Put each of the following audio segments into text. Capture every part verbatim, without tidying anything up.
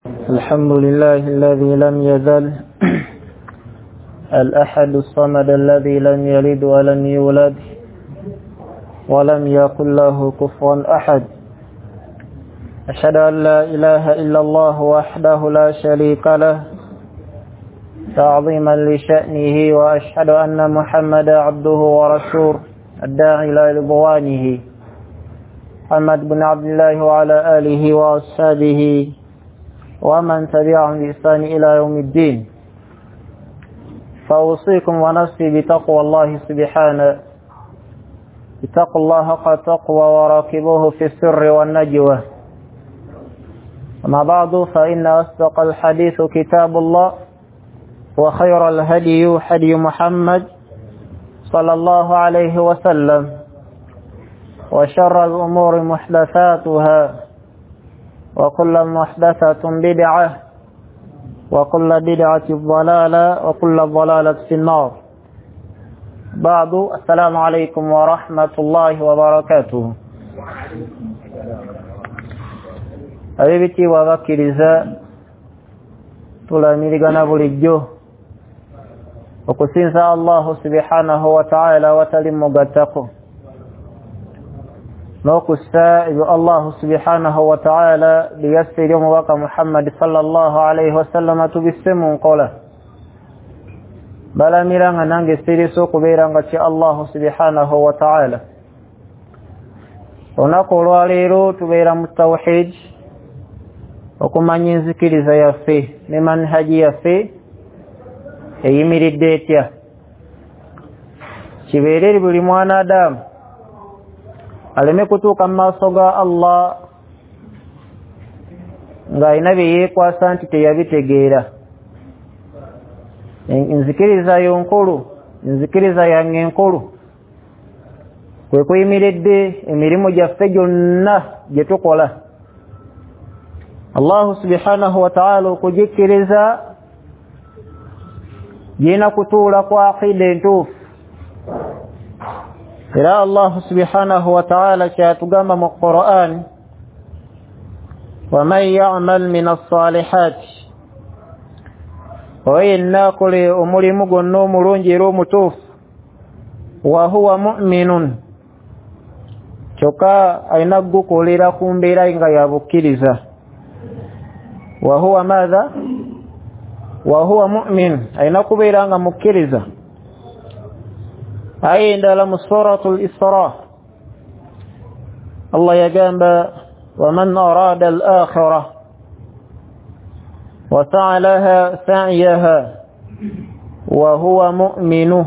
الحمد لله الذي لم يزل الأحد الصمد الذي لم يلد ولم يولد ولم يكن له كفوا أحد. أشهد أن لا إله إلا الله وحده لا شريك له تعظيما لشأنه، وأشهد أن محمدا عبده ورسوله الداعي إلى رضوانه، محمد بن عبد الله وعلى آله وأصحابه ومن تبعهم بإحسان إلى يوم الدين. فأوصيكم ونفسي بتقوى الله سبحانه. اتقوا الله حق التقوى وراقبوه في السر والنجوى. أما بعد، فإن أصدق الحديث كتاب الله، وخير الهدي هدي محمد صلى الله عليه وسلم، وشر الأمور محدثاتها، وكل محدثة بدعة، وكل بدعة ضلالة، وكل ضلالة في النار. بعد، السلام عليكم ورحمة الله وبركاته. Ab'ebitiibwa abakkiriza, tulamirigana bulijjo okusinza Allahu subhanahu wa ta'ala watali mugattako, n'okussa ebyo Allahu subhanahu wa ta'ala byeyassa eri omubaka Muhammad sallallahu alaihi wasallama tubisse mu nkola. Balamira nga nange siriisa okubeera nga kya Allahu subhanahu wa ta'ala. Olunaku olwaleero tubeera mu tawhid, okumanya enzikiriza yaffe ne manhaji yaffe eyimiridde etya. Kibeere eri buli mwana Adamu aleme kutuuka mu maaso ga Allah ng'alina bye yeekwasa nti teyabitegeera. Enzikiriza yo nkulu, enzikiriza yange enkulu kwe kuyimiridde emirimu gyaffe gyonna gye tukola. Allahu subhanahu wa ta'ala okugikkiriza girina kutuula ku aqida entuufu. Era Allahu subhanahu wa ta'ala kyatugamba mu Qur'an, waman ya'mal min as-salihati, oyo yenna akole omulimu gwonna omulungi era omutuufu, wa huwa mu'minun, kyokka alina kugukolera ku mbeera nga ya bukkiriza. Wa huwa madha? Wa huwa mu'min, alina kubeera nga mukkiriza. Aya endala mu suratul Isra, Allah yagamba, waman arada al-akhirah wa sa'a laha sa'yaha wa huwa mu'minu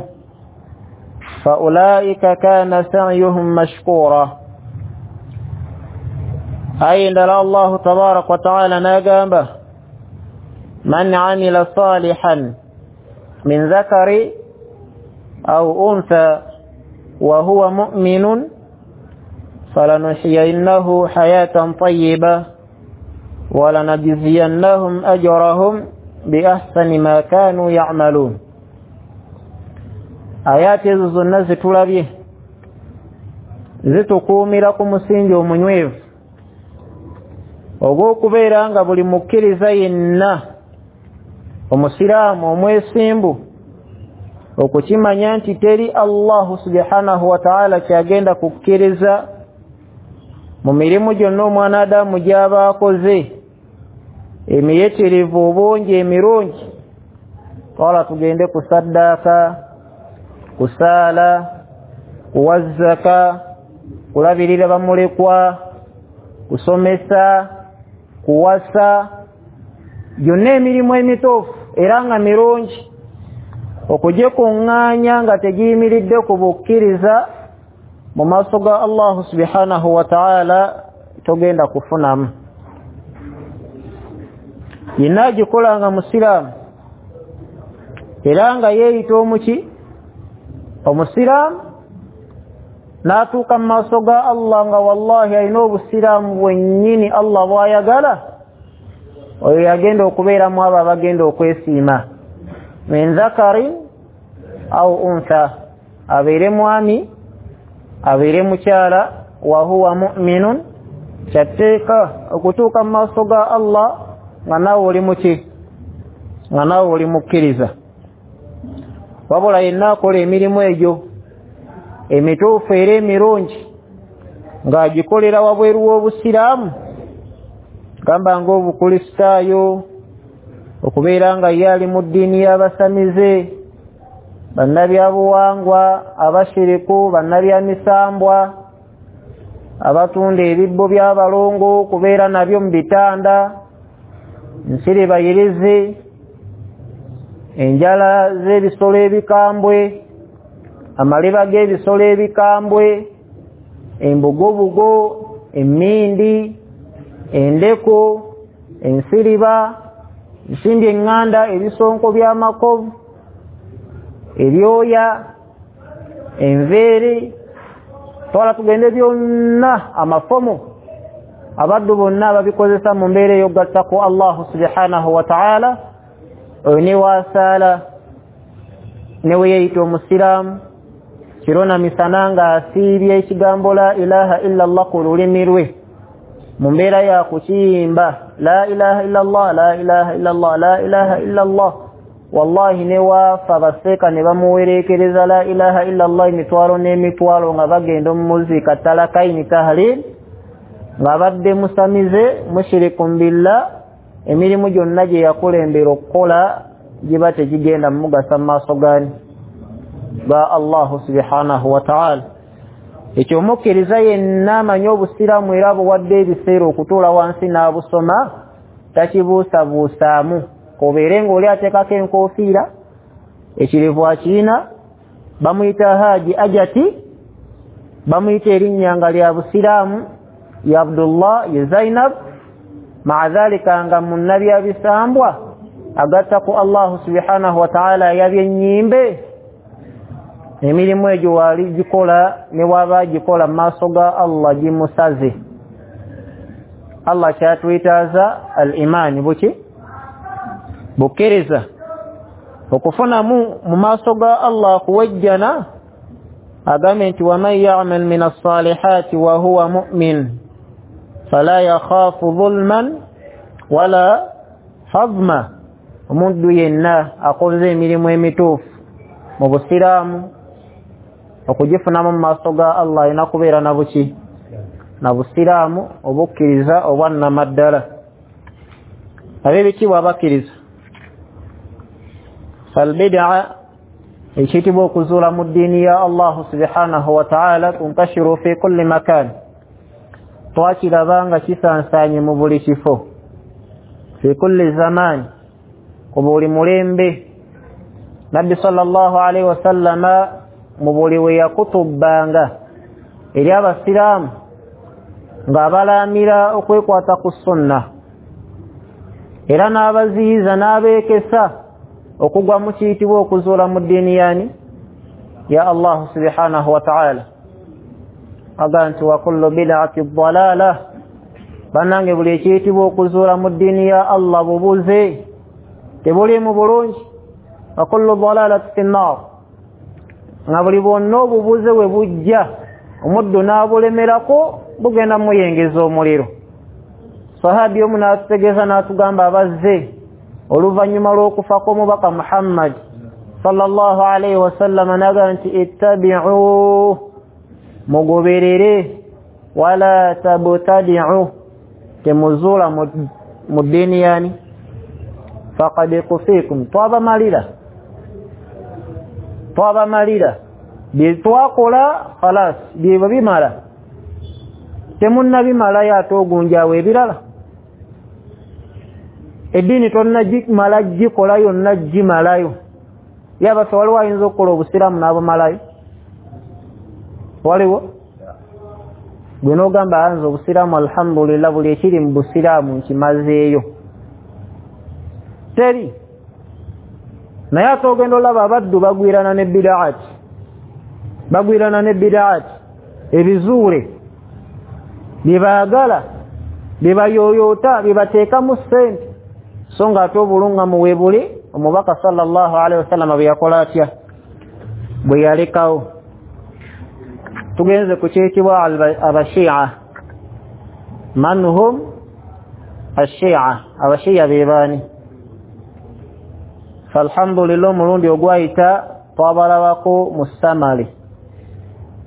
fa ulaika kana sa'yuhum mashkura. Aya endala Allahu tabaraka wa ta'ala n'agamba, man 'amila salihan min dhakari aw untha wa huwa mu'minun falanuhyiyannahu hayatan tayyibah wa lanajziyannahum ajrahum bi ahsani ma kanu ya'malun. Ayati ezo zonna zitulabye zitukuumira ku musingi omunywevu ogw'okubeera nga buli mukkiriza yenna omusiraamu omwesimbu okukimanya nti teri Allahu subhanahu wa ta'ala kyagenda kukkiriza mu mirimu gyonna omwana Adamu gy'aba akoze emiyitirivu obungi emirungi. Twala tugende ku saddaaka, kusaala, kuwa zaka, kulabirira bamulekwa, kusomesa, kuwasa, gyonna emirimu emituufu era nga mirungi okugikuŋŋaanya nga tegiyimiridde ku bukkiriza mu maaso ga Allahu subhanahu wa ta'ala togenda kufunamu. Yenna agikola nga musiraamu era nga yeeyita omuki omusiraamu n'atuuka mu maaso ga Allah nga wallahi alina obusiraamu bwennyini Allah bw'ayagala, oyo yagenda okubeeramu abo abagenda okwesiima. Min dhakarin au untha, abeere mwami abeere mukyala, wa huwa mu'minun, kyatteeka okutuuka mu maaso ga Allah nga naawe oli muki, nga naawe oli mukkiriza. Wabula yenna akola emirimu egyo emituufu era emirungi ng'agikolera wabweru w'obusiraamu, gamba ng'obukulisitaayo, okubeera nga ye ali mu ddiini y'abasamize, bannabyabuwangwa, abashiriku, bannabyamisambwa, abatunda ebibbo by'abalongo okubeera nabyo mu bitanda, nsiribayirizi, enjala z'ebisolo ebikambwe, amaliba g'ebisolo ebikambwe, embugobugo, emmindi, endeku, ensiriba, ensimbi eŋŋanda, ebisonko by'amakovu, ebyoya, enveeri, twala tugende byonna, amafomo, abaddu bonna babikozesa mu mbeera ey'okugatta ku Allahu subhanahu wa ta'ala. Oyo ne wasaala ne we yeeyita omusiraamu kiro na misana ng'asiibye ekigambo la ilaha illa Allah ku lulimi lwe mu mbeera ya kukiyimba la ilaha illa Allah, la ilaha illa Allah, la ilaha illa Allah, wallahi ne waafa baseeka ne bamuwereekereza la ilaha illa Allah emitwalo n'emitwalo nga bagenda omumuziika talakaini tahlil, ng'abadde musamize mushirikun billah, emirimu gyonna gye yakulembera okukola giba tegigenda mumugasa mu maaso gani ga Allahu subhanahu wa ta'ala. Ekyo omukkiriza yenna amanyi obusiraamu era buwadde ebiseera okutuula wansi n'abusoma takibuusabuusaamu, kobeere ng'oli ateekako enkofiira, ekirevu akirina, bamuyita Haji Ajati, bamuyita erinnya nga lya busiraamu ya Abdullah ye Zainab, maa dhalika nga munnabyabisambwa agatta ku Allahu subhanahu wa ta'ala yabyennyimbe. Emirimu egyo waali gikola ne waba agikola mu maaso ga Allah gimusaze. Allah kyatwetaaza al-imaani buki bukkiriza, okufunamu mu maaso ga Allah kuwejjana. Agambe nti waman ya'mal min as-salihati wa huwa mu'min fala yakhafu dhulman wala hazma. Omuntu yenna akoze emirimu emituufu mu busiraamu okugifunamu mu maaso ga Allah alina kubeera na buki, na busiraamu obukkiriza obwannamaddala. Ab'ebitiibwa abakkiriza, falbidaa ekiyitibwa okuzuula mu ddiini ya Allahu subhanahu wa ta'ala tuntashiru fi kulli makan, twakiraba nga kisansaanye mu buli kifo, fi kulli zamaani, ku buli mulembe. Nabbi sallallahu alaihi wasallama mu buli we yakutubbanga eri abasiraamu ng'abalaamira okwekwata ku sunna, era n'abaziyiza n'abeekesa okugwa mu kiyitibwa okuzuula mu ddiini yani ya Allahu subhanahu wa ta'ala. Aga nti wa kullu bid'ati dalalah, bannange buli ekiyitibwa okuzuula mu ddiini ya Allah bubuze, tebuliimu bulungi. Wa kullu dalalati fi nnar, nga buli bwonna obubuze bwe bujja omuddu n'abulemerako bugenda muyengeza omuliro. Sahabi omu n'atutegeeza n'atugamba abazze oluvannyuma lw'okufa kw'omubaka Muhammad sallallahu alaihi wasallam, n'agamba nti ittabi'u, mugoberere, wala tabtadi'u, temuzuula mu ddiini yani faqad kufikum, twabamalira twabamalira bye twakola khalas, byebyo bimala, temunnabimalayo ate ogunjawo ebirala. Eddiini tonnagimala gikola yonna gimalayo. Ye abaffe waliwo ayinza okukola obusiraamu n'abumalayo? Waliwo gwe n'ogamba anze obusiraamu alhamdulillah buli ekiri mu busiraamu nkimazeeyo? Teri. Naye ate ogenda olaba abaddu bagwirana ne bidaati, bagwirana ne bidaati, ebizuule bye baagala, bye bayooyoota, bye bateekamu ssente, so nga ate obulungamu we buli omubaka sallallahu alaihi wasallam bwe yakola atya, bwe yalekawo. Tugenze ku kiyitibwa abashia. Man hum Ashia, abashiya bebaani? Falhamdulillah, omulundi ogwayita twabalabako mu samali.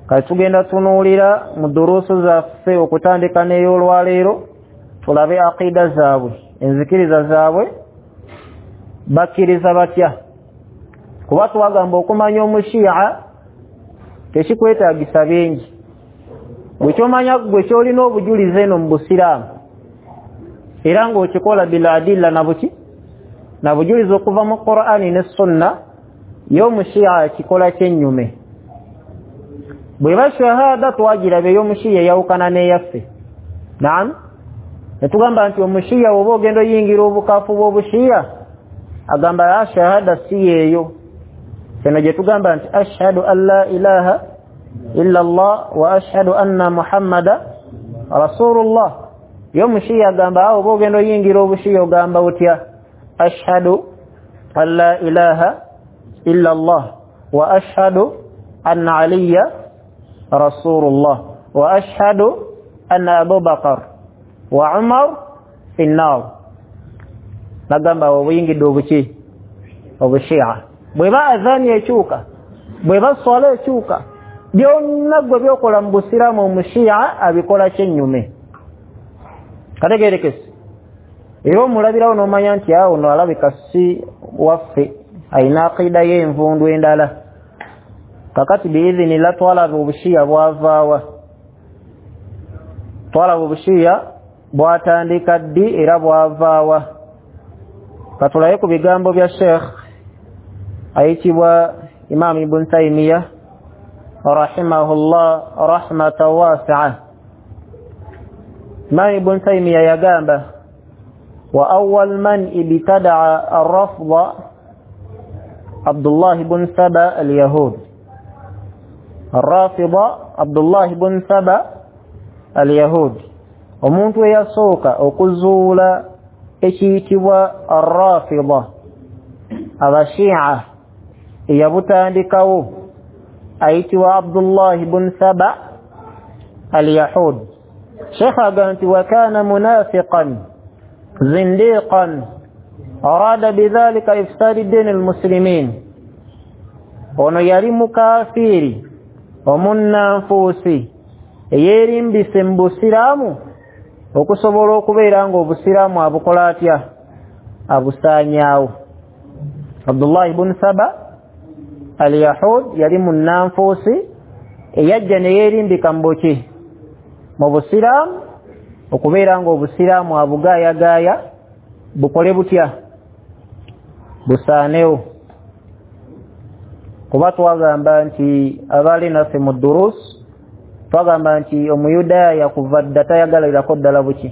Kati tugenda tunuulira mu duruusu zaffe okutandika n'ey'olwaleero, tulabe aqida zaabwe, enzikiriza zaabwe, bakkiriza batya. Kuba twagamba okumanya omushiya tekikwetaagisa bingi, gwe kyomanya gwe kyolina obujulizi eno mu busiraamu era ng'okikola biladilla na buki na bujulizi okuva mu Qur'ani ne Sunna, y'omushiya kikola kyennyume. Bweba shahada twagiraba ey'omushiya eyawukana n'eyaffe. Naam, netugamba nti omushiya oba ogenda oyingira obukafu bw'obushiya agamba a shahada si yeeyo. Kino gye tugamba nti ashhadu an la ilaha illa Allah wa ashhadu anna Muhammada rasulullah. Y'omushiya agamba awo oba ogenda oyingira obushiya ogamba otya? Ashhadu an la ilaha illa Allah wa ashhadu anna Aliya rasulullah wa ashhadu anna Abu Bakar wa Umar fi nnar. Nagamba obuyingidde obuki? Obushiya. Bweba adhani ekyuka, bweba swala ekyuka, byonna gwe byokola mu busiraamu omushiya abikola kyennyume. Kategerekese. Era omulabirawo n'omanya nti awo no alabika si waffe, ayina aqida y'envundu endala. Kakati biidhinillah twalaba obushiya bwavaawa, twalaba obushiya bwatandika ddi era bwavaawa. Katulaye ku bigambo bya Sheikh ayitibwa Imam Ibn Taymiyyah rahimahullah rahmatan wasi'a. Imam Ibn Taymiyyah yagamba wa awwal man ibtada'a ar-rafda Abdullah ibn Saba al-Yahud. Ar-Rafida Abdullah ibn Saba al-Yahud, omuntu eyasooka okuzuula ekiyitibwa Ar-Rafida, abashia, eyabutandikawo ayitibwa Abdullah ibn Saba al-Yahud. Sheikh agamba nti wa kana munafiqan zindiqan arada bidhalika ifsad din al-muslimin. Ono yali mukafiiri omunnanfuusi eyeerimbise mu busiraamu okusobola okubeera ng'obusiraamu abukola atya? Abusaanyaawo. Abdullah ibn Saba al-Yahud yali munnanfuusi eyajja ne yeerimbika mu buki? Mu busiraamu, okubeera ng'obusiraamu abugaayagaaya bukole butya? Busaanewo. Kuba twagamba nti abaali naffe mu durus twagamba nti omuyudaaya kuva dda tayagalirako ddala buki?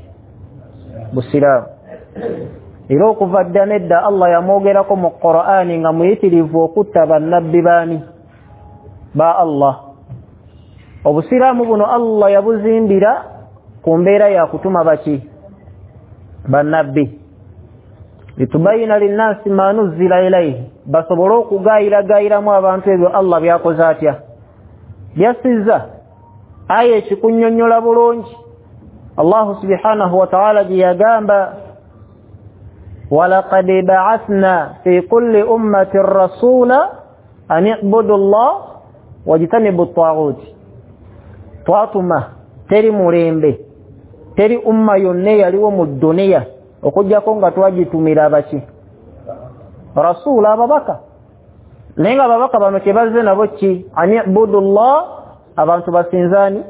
Busiraamu. Era okuva dda nedda Allah yamwogerako mu Qur'ani nga muyitirivu okutta bannabbi baani? Ba Allah. Obusiraamu buno Allah yabuzimbira ku mbeera ya kutuma baki? Bannabbi. Litubayina linnasi ma nuzzila ilayhi, basobole okugaayiragaayiramu abantu ebyo Allah byakoze atya? Byasizza. Aya ekikunnyonnyola bulungi Allah subhanahu wa ta'ala gye yagamba walaqad ba'athna fi kulli ummatin rasula an i'budu Allah wajtanibu at-taghut. Twatuma teri mulembe, teri umma yonna eyaliwo mu dduniya okuggyako nga twagitumira abaki? Rasula, ababaka. Naye nga ababaka bano kye bazze nabo ki? An i'budu Allah, abantu basinzaani,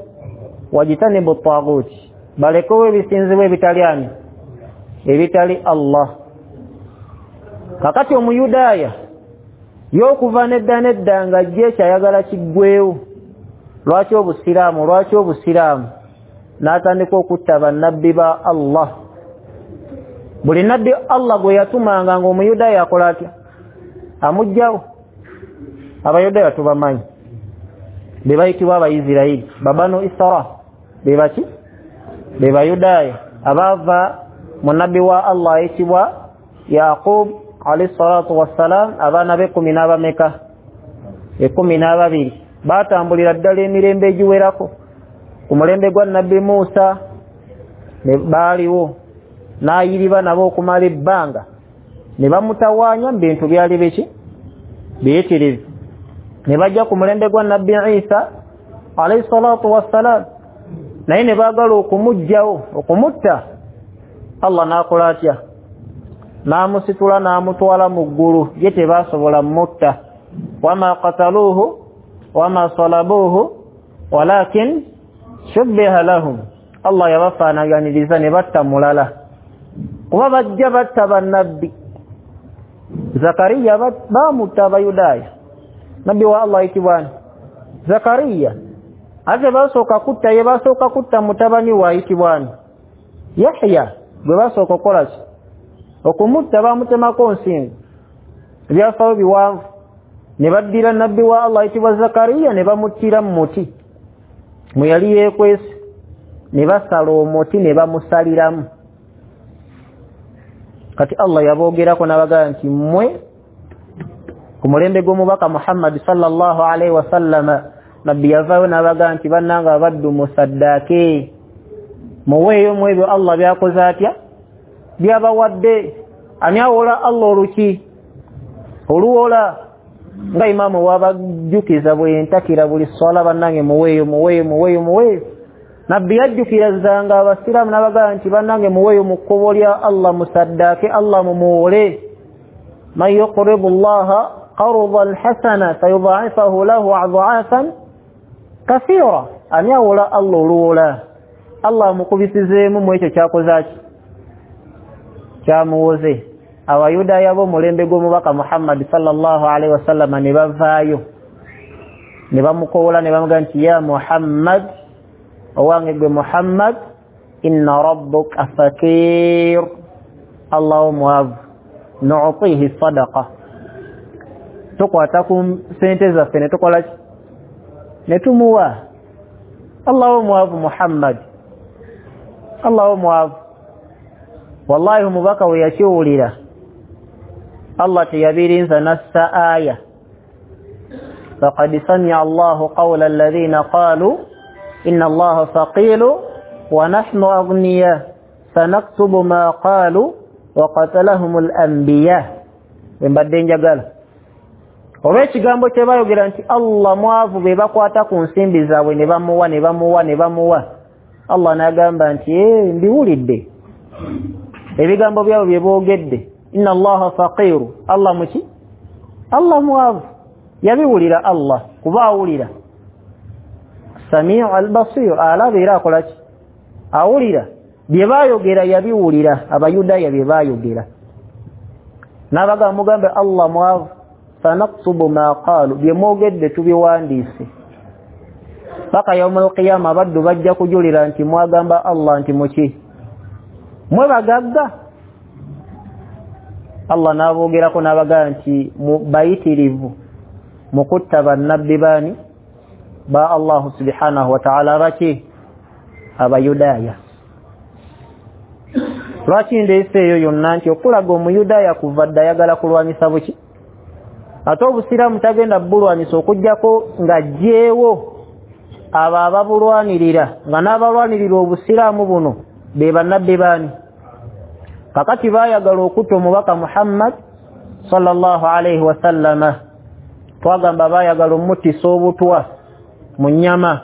wajtanibu at-taghut, balekewo ebisinzibwa ebitali ani? Ebitali Allah. Kakati omuyudaaya y'okuva nedda nedda nga ajja ekyayagala kiggwewo. Lwaki obusiraamu? Lwaki obusiraamu? N'atandika okutta bannabbi ba Allah. Buli nabbi Allah gwe yatumanga ng'omuyudaaya akola atya? Amuggyawo. Abayudaaya tubamanyi, be bayitibwa Abayisirayiri, babanu Isra, be baki? Be Bayudaaya abaava mu nabbi wa Allah ayitibwa Yaqub alayhi salatu wassalam, abaana be kumi n'abameka? Ekkumi n'ababiri. Baatambulira ddala emirembe egiwerako. Ku mulembe gwa nabbi Musa ne baaliwo, N'ayiriba nabo okumala ebbanga, ne bamutawaanya mu bintu byali biki biyitirivu. Ne bajja ku mulembe gwa Nabbi Isa alayhi salatu wassalam, naye ne baagala okumuggyawo, okumutta. Allah n'akola atya? N'amusitula n'amutwala mu ggulu, ye tebasobola mutta. Wama qataluuhu wama salabuuhu walakin shubbiha lahum. Allah yabafaanaganiriza ne batta mulala, kuba bajja batta bannabbi. Zakariya bamutta Abayudaaya, nabbi wa Allah ayitibwa Zakariya. Ate basooka kutta ye, basooka kutta mutabani we ayitibwa Yahya, gwe basooka okukola ki? Okumutta. Bamutemako nsingo. Ebyafaayo biwanvu. Ne baddira nabbi wa Allah ayitibwa Zakariya ne bamuttira mu muti mwe yali yeekwese, ne basala omuti ne bamusaliramu. Kati Allah yaboogerako n'abagamba nti mmwe ku mulembe gw'omubaka Muhammad sallallahu alaihi wasallama, nabbi yavaayo n'abagamba nti bannange abaddu musaddaake, muweeyo mu ebyo Allah byakoze atya, byabawadde. Ani awola Allah oluki oluwola? Nga imaamu wabajjukiza bwe ntakira buli swala, bannange muweeyo muweeyo muweeyo muweeyo. Nabbi yajjukirizanga abasiraamu n'abagamba nti bannange muweeyo mu kkubo lya Allah, musaddaake Allah mumuwole. Man yuqridu llaha qardan hasana fayudha'ifahu lahu adha'afan kathira. Ani awola Allah oluwola? Allah amukubisizeemu mu ekyo kyakoze ki, kyamuwoze. Abayudaaya b'omulembe gw'omubaka Muhammad sallallahu alaihi wasallama ne bavaayo ne bamukowola ne bamugamba nti ya Muhammad, owange gwe Muhammad, inna rabbuka fakir, Allah omwavu, nu'tihi sadaqa, tukwata ku sente zaffe ne tukola ki, ne tumuwa. Allah omwavu Muhammad, Allah omwavu. Wallahi omubaka we yakiwulira Allah teyabirinza nassa aya, faqad sami'a Allahu qawla alladhina qalu inna Allaha faqiru wa nahnu aghniya sanaktubu ma qalu wa qatalahumul anbiya. Mbadde njagala olw'ekigambo kye bayogera nti Allah mwavu, be bakwata ku nsimbi zaabwe ne bamuwa ne bamuwa ne bamuwa. Allah n'agamba nti ee, mbiwulidde ebigambo byabwe bye boogedde, inna Allaha faqiru, Allah muki, Allah mwavu. Yabiwulira Allah, kuba awulira, Samiu al-Basir, alaba era akola ki, awulira. Bye baayogera yabiwulira, Abayudaaya bye baayogera. N'abagamba mugambe Allah mwavu, sanaktubu ma qalu, bye mwogedde tubiwandiise. Paka yaumul qiyama abaddu bajja kujulira nti mwagamba Allah nti muki, mwe bagagga. Allah n'aboogerako n'abagamba nti bayitirivu mu kutta bannabbi baani ba Allahu subhanahu wa ta'ala, baki Abayudaaya. Lwaki ndeese eyo yonna? Nti okulaga Omuyudaaya kuva dda ayagala kulwanyisa buki, ate obusiraamu tagenda bulwanyisa okuggyako ng'aggyeewo abo ababulwanirira, nga n'abalwanirira obusiraamu buno be bannabbi baani. Kakati baayagala okutta omubaka Muhammad sallallahu alaihi wasallama, twagamba baayagala omuttisa obutwa mu nnyama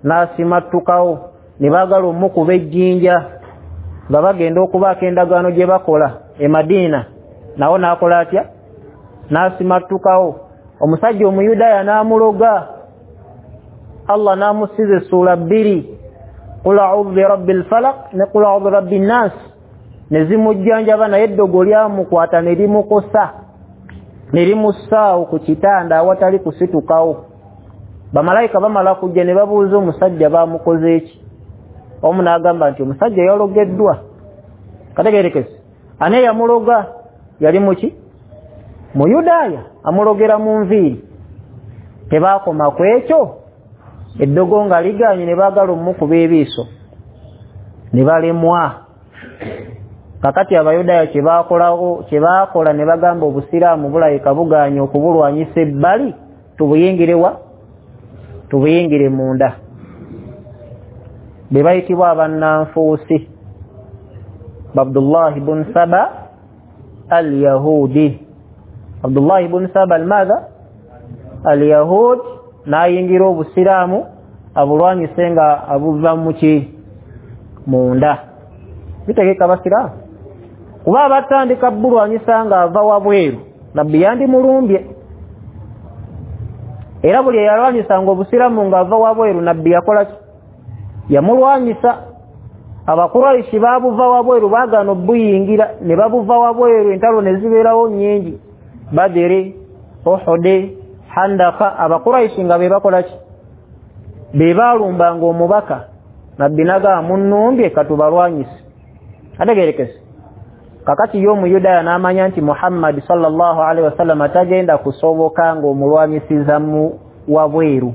n'asimattukawo, ne baagala omukuba ejjinja nga bagenda okubaako endagaano gye bakola e Madiina, nawo n'akola atya, n'asimattukawo. Omusajja Omuyudaaya n'amuloga, Allah n'amusiza essuula bbiri, qul a'udhu birabbil falaq ne qul a'udhu birabbin nas, ne zimujjanjaba, naye eddogo lyamukwata ne limukosa ne limussaawo ku kitanda awatali kusitukawo. Bamalayika bamala kujja ne babuuza omusajja bamukoze ki, omu n'agamba nti omusajja yalogeddwa. Kategeerekese, ani yamuloga? Yali muki, Muyudaaya, amulogera mu nviiri. Tebaakoma ku ekyo, eddogo nga ligaanye ne baagala omukuba ebiiso ne balemwa. Kakati Abayudaaya kye baakolawo, kye baakola ne bagamba obusiraamu bulayika bugaanye okubulwanyisa ebbali, tubuyingire wa, tubuyingire munda. Be bayitibwa abannanfuusi. Abdullah ibn Saba al-Yahudi. Abdullah ibn Saba al-madha al-Yahud, n'ayingira obusiraamu abulwanyise nga abuva muki munda. Bitegeka abasiraamu kuba abatandika bulwanyisa nga ava wabweru, nabbi yandimulumbye. Era buli eyalwanyisanga obusiraamu nga ava wabweru nabbi yakola ki? Yamulwanyisa. Abakuraishi babuva wabweru baagaana obuyingira ne babuva wabweru, entalo ne zibeerawo nnyingi, Badiri, Uhudi, Handaka. Abakuraishi nga be bakola ki? Be balumbanga omubaka. Nabbi n'agamba munnumbye katubalwanyise. Ategeerekese. Kakati ye omuyudaaya n'amanya nti Muhammad sallallahu alaihi wasallam tagenda kusoboka ng'omulwanyisiza mu wabweru,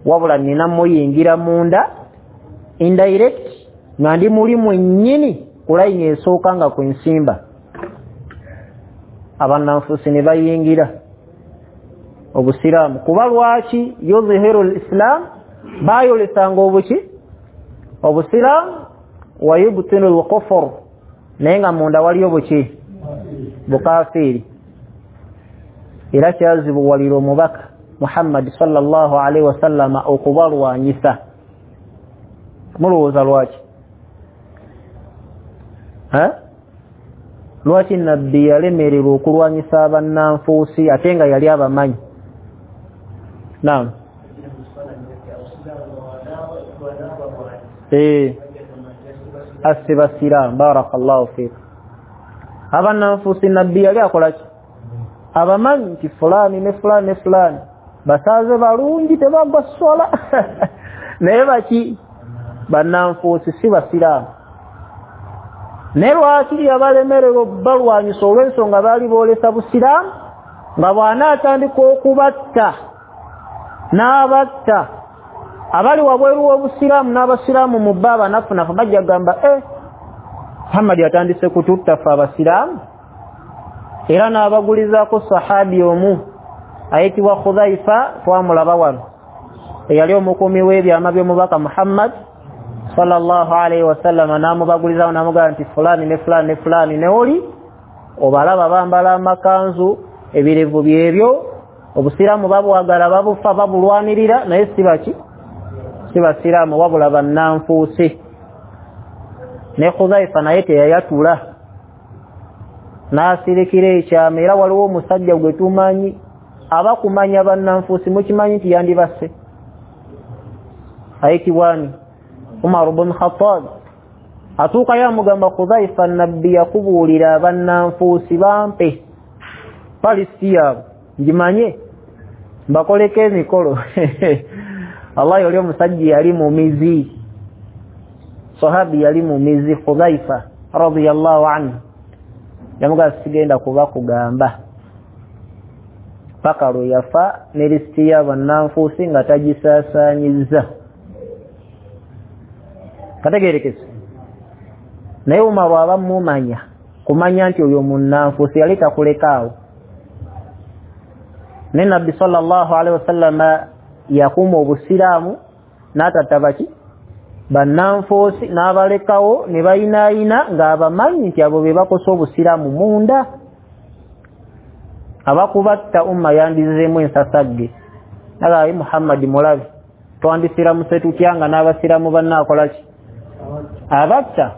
wabula nina muyingira munda indirect nga ndi muli mwennyini ku layini esooka nga ku nsimba. Abannanfuusi ne bayingira obusiraamu. Kuba lwaki yuzhiru lislam, baayolesanga obuki obusiraamu, wa yubtinu lkufur, naye nga munda waliyo buki bukafiiri. Era kyazibuwalira omubaka Muhammad sallallahu alaihi wasallam okubalwanyisa. Mulowooza lwaki? Ha? Lwaki nabbi yalemererwa okulwanyisa abannanfuusi ate nga yali abamanyi? Naam. Eh, asibasira barakallahu fik. Abannanfuusi nabbi yali akola ki? Abamanyi nti fulani ne fulani ne fulani basaaze balungi tebagwa swala naye baki bannanfuusi si basiraamu. Naye lwaki yabalemererwa balwanyisa? Olw'ensonga baali boolesa busiraamu, nga bw'anaatandika okubatta n'abatta abali wabweru w'obusiraamu n'abasiraamu mu bo abanafunafu bajja kugamba eh, Muhammad atandise kututta ffe abasiraamu. Era n'abagulizaako sahabi omu ayitibwa Khudhaifa, twamulaba wano, eyali omukuumi w'ebyama by'omubaka Muhammad sallallahu alaihi wasallam, n'amubagulizaako n'amugamba nti fulani ne fulani ne fulani ne oli obalaba bambala amakanzu, ebirevu byebyo, obusiraamu babwagala babufa babulwanirira, naye si baki si basiraamu wabula bannanfuusi. Ne Khudhaifa naye teyayatula n'asirikira ekyama. Era waliwo omusajja gwe tumanyi abakumanya bannanfuusi, mukimanyi nti yandibasse, ayitibwa ani? Umar ibn Khattab. Atuukayo amugamba Khudhaifa, nabbi yakubuulira abannanfuusi bampe palisiti yaabwe ngimanye mbakoleko emikolo. Allah, oli omusajja yali mumizi, sahabi yali mumizi, Khudhaifa radiyallahu anhu. Yamugamba sigenda kuba kugamba paka lwe yafa ne lisiti y'abannanfuusi nga tagisaasaanyizza. Kategeerekese. Naye Umaru aba mumanya kumanya nti oyo munnanfuusi yali takulekaawo. Ne nabbi sallallahu alaihi wasallam yakuuma obusiraamu n'atatta baki bannanfuusi n'abalekawo ne bayinaayina ng'abamanyi nti abo be bakosa obusiraamu munda. Abakubatta umma yandizeemu ensasagge. Nagaye Muhammad mulabe, twandisiramuse tutya nga n'abasiraamu bannaakola ki? Abatta.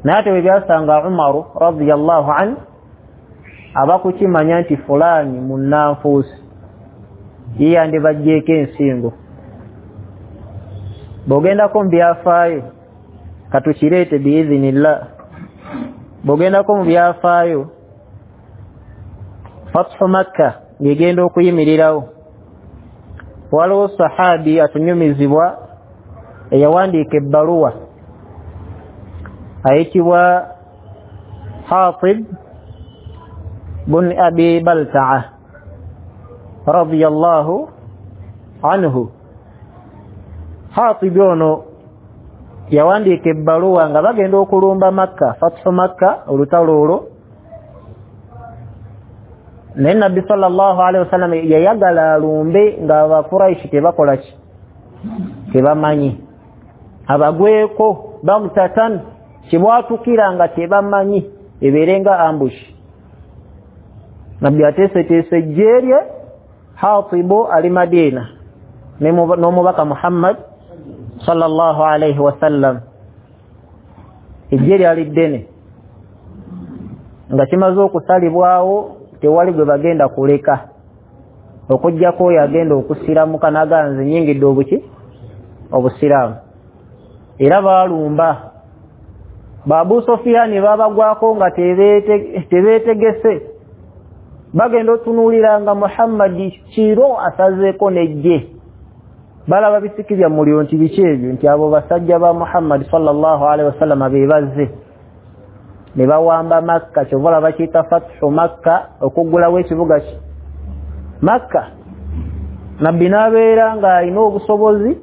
Naye ate bwe byasanga Umaru radiyallahu anhu abakukimanya nti fulani munnanfuusi, ye yandibaggyeko ensingo. Bw'ogendako mu byafaayo, katukireete biizinillah, bw'ogendako mu byafaayo Fathu Makka ng'egenda okuyimirirawo, waliwo sahabi atunyumizibwa eyawandiika ebbaluwa ayitibwa Hatib bun Abi Balta'a radiyallahu anhu. Hatib ono yawandiika ebbaluwa nga bagenda okulumba Makka, Fathu Makka, olutalo olwo. Naye nabbi sallallahu alaihi wasallam yayagala alumbe nga abakuraishi tebakola ki? Tebamanyi, abagweko bagtatan. Kibwatukira nga tebamanyi, ebeere nga ambush. Nabbi ateeseteese ejje lye, Hatibu ali Madina n'omubaka Muhammad sallallahu alayhi wasallam. Ejje lyali ddene nga kimaze okusalibwawo, tewali gwe bagenda kuleka okuggyako oyo agenda okusiramuka n'aganze nyingidde obuki obusiraamu. Era baalumba ba Abu Sufyaani, babagwako nga tebeetegese, bagenda otunuulira nga Muhammadi kiro asazeeko n'ejje. Balaba bisiki bya muliro nti biki ebyo, nti abo basajja ba Muhammadi sallallahu alaihi wasallam be bazze ne bawamba Makka. Kyova olaba bakiyita Fathu Makka, okuggulawo ekibuga ki Makka. Nabbi n'abeera ng'alina obusobozi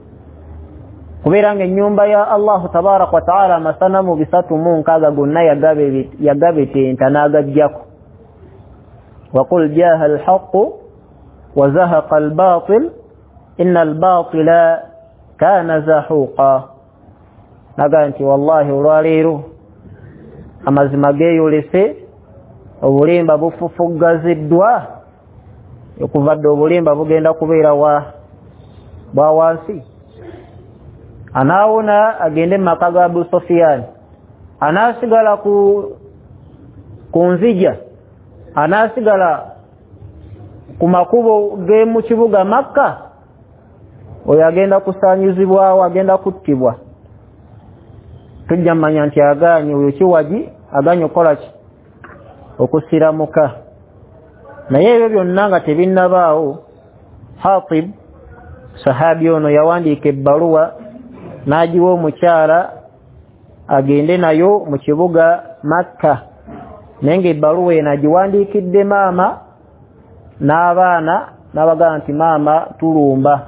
kubeera ng'ennyumba ya Allahu tabaraka wa taala amasanamu bisatu mu nkaaga gonna yagabetenta n'agaggyako. Waqul jaaha alhaqqu wa zahaqa albatil inna albatila kana zahuqa. Naga nti wallahi olwaleero amazima geeyolese, obulimba bufufuggaziddwa, okuva dda obulimba bugenda kubeera wa bwa wansi. Anaawona agende mu maka ga Abu Sufyan, anaasigala ku ku nzija, anaasigala ku makubo g'emu kibuga Makka, oyo agenda kusaanyizibwawo, agenda kuttibwa. Tujja mmanya nti agaanye oyo kiwagi, agaanye okukola ki? Okusiramuka. Naye ebyo byonna nga tebinnabaawo, Hatib sahabi ono yawandiika ebbaluwa n'agiwa omukyala agende nayo mu kibuga Makka. Naye ng'ebbaluwa eno agiwandiikidde maama n'abaana, n'abagamba nti maama tulumba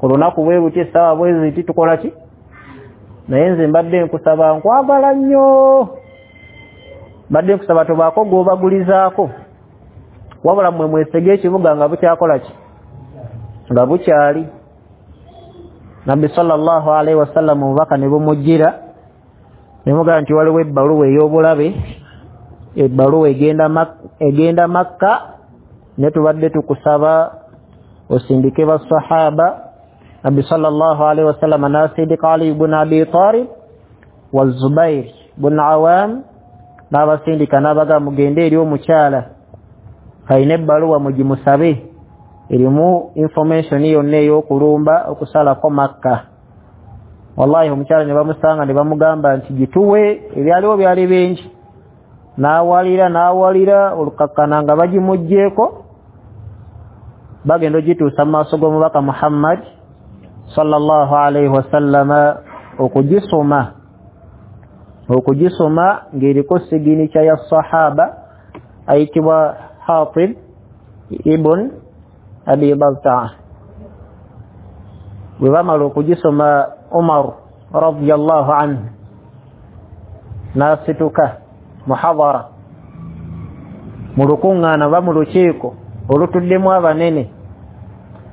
ku lunaku bwe buti, essaawa bwe ziti, tukola ki? Naye nze mbadde nkusaba, nkwagala nnyo, mbadde nkusaba tobaako gw'obagulizaako, wabula mmwe mwesege ekibuga nga bukyakola ki? Nga bukyali. Nabbi sallallahu alaihi wasallam omubaka ne bumujjira ne mugamba nti waliwo ebbaluwa ey'obulabe, ebbaluwa egenda egenda Makka, ne tubadde tukusaba osindike basahaba. Nabbi sallallahu alaihi wasallam n'asindika Ali ibn Abi Talib wa Zubair ibn Awam, n'abasindika n'abagamba mugende eri omukyala alina ebbaluwa mugimusabe, erimu information yonna ey'okulumba okusalako Makka. Wallahi omukyala ne bamusanga ne bamugamba nti gituwe, ebyaliwo byali bingi. N'awalira n'awalira olukakkana nga bagimuggyeeko, bagenda ogituusa mu maaso g'omubaka Muhammad sallallahu alaihi wasallama okugisoma okugisoma ng'eriko siginica ya sahaba ayitibwa Hatib ibn Abi Balta'a. Bwe bamala okugisoma, Umar radiyallahu anhu n'asituka muhadhara mu lukuŋŋaana oba mu lukiiko olutuddemu abanene,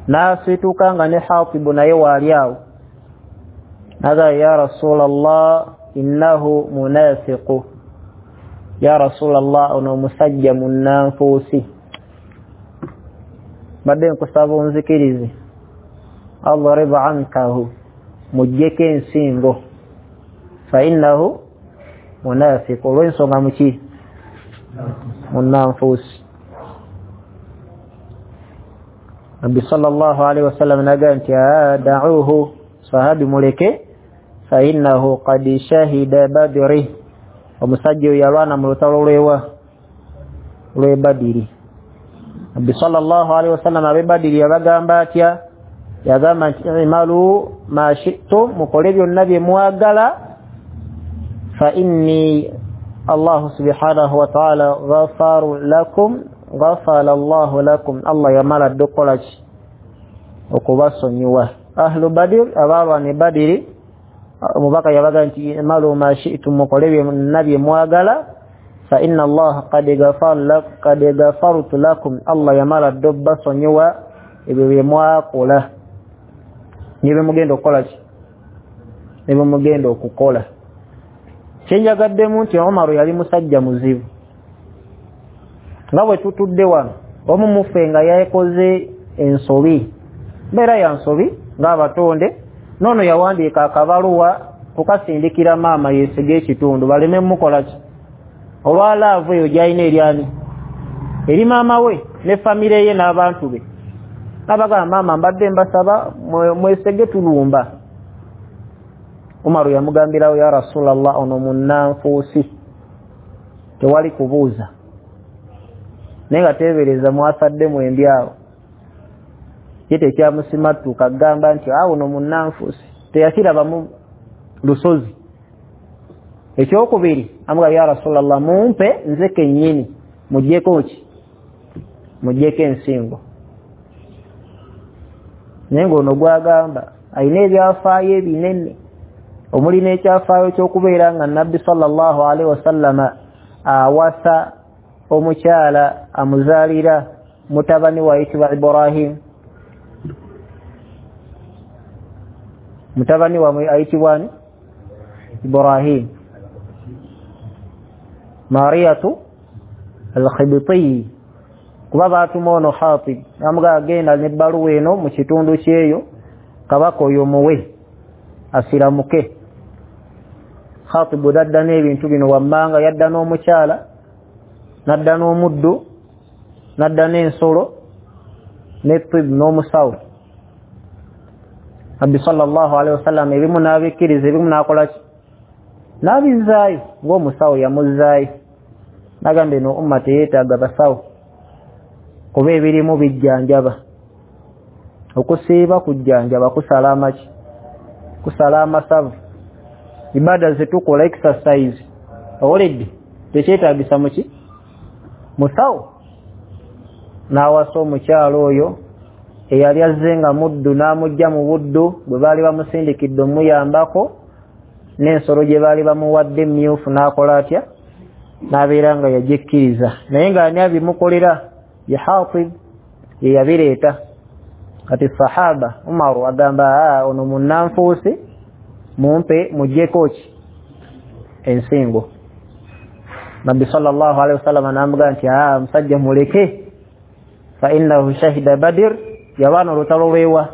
n'asituka nga ne Hatibu naye waali awo, n'agamba ya Rasulallah innahu munafiqu, ya Rasulallah ono omusajja munnanfuusi, mbadde nkusaba onzikirize, adrib ankahu, muggyeko ensingo, fa innahu munafiqu, olw'ensonga muki? Munnanfuusi. Nabbi sallallahu alaihi wasallam n'agamba nti da'uhu, sahabi muleke, fa innahu qad shahida badri, omusajja oyo yalwana mu lutalo lwewa lw'e Badiri. Nabbi sallallahu alaihi wasallam ab'e Badiri yabagamba atya? Yagamba nti imalu ma shi'tum, mukole byonna bye mwagala, fa inni Allahu subhanahu wa ta'ala ghafaru lakum, ghafara Allahu lakum, Allah yamala dda okukola ki? Okubasonyiwa. Ahlu Badir, abalwana e Badiri, omubaka yabaga nti imalu ma shi'tum, mukole byonna bye mwagala, fa inna Allaha qad ghafara qad ghafartu lakum, Allah yamala dda obbasonyiwa ebyo bye mwakola ne bye mugenda okukola ki? Ne bye mugenda okukola. Kyenjagaddemu nti Umaru yali musajja muzibu. Nga bwe tutudde wano omu muffe nga yakoze ensobi, mbeera ya nsobi ng'abatonde, noono yawandiika akabaluwa kukasindikira maama yeesege ekitundu baleme mukola ki olwa laavu eyo gy'alina eryani eri maama we ne famire ye n'abantu be. N'abagamba maama mbadde mbasaba mwesege tulumba. Umaru yamugambirawo ya Rasulallah ono munnanfuusi tewali kubuuza, naye nga teebereza mwasadde mwembi awo ye tekyamusimattuka agamba nti awo ono munnanfuusi teyakirabamu lusozi. Ekyokubiri amugamba ya Rasulallah mumpe nze kennyini muggyeko ki muggyeko ensingo. Naye ng'ono gwagamba alina ebyafaayo ebinene omuli n'ekyafaayo ky'okubeera nga Nabbi sallallahu alaihi wasallama awasa omukyala amuzaalira mutabani we ayitibwa Ibrahim, mutabani wamwe ayitibwa ani? Ibrahim. Mariyatu al-Khibtiyi, kuba baatuma ono Hatib namuga agenda n'ebbaluwa eno mu kitundu kyeyo kabaka oyo muwe asiramuke. Khatibu dadda n'ebintu bino wammanga, yadda n'omukyala, nadda n'omuddu, nadda n'ensolo ne tib n'omusawo. Nabbi sallallahu alaihi wasallam ebimu n'abikkiriza ebimu n'akola ki n'abizzaayo, ng'omusawo yamuzzaayo n'agamba eno umma teyeetaaga basawo kuba ebirimu bijjanjaba, okusiiba kujjanjaba, kusala amaki kusala amasavu, ibada zetukola exercise owulidde tekyetaagisa muki musawo. N'awasa omukyala oyo eyali azze nga muddu n'amugja mu buddu bwe baali bamusindikidde omuyambako n'ensolo gye baali bamuwadde emyufu n'akola atya n'abeera nga yagikkiriza, naye ng'ani abimukolera ye Hatib ye yabireeta. Kati sahaba Umaru agamba ono munnanfuusi mumpe muggyeko ki ensingo. Nabbi sallallahu alaihi wasallam n'amugamba nti aa musajja muleke, fa innahu shahida Badr, yabaana olutalo lwewa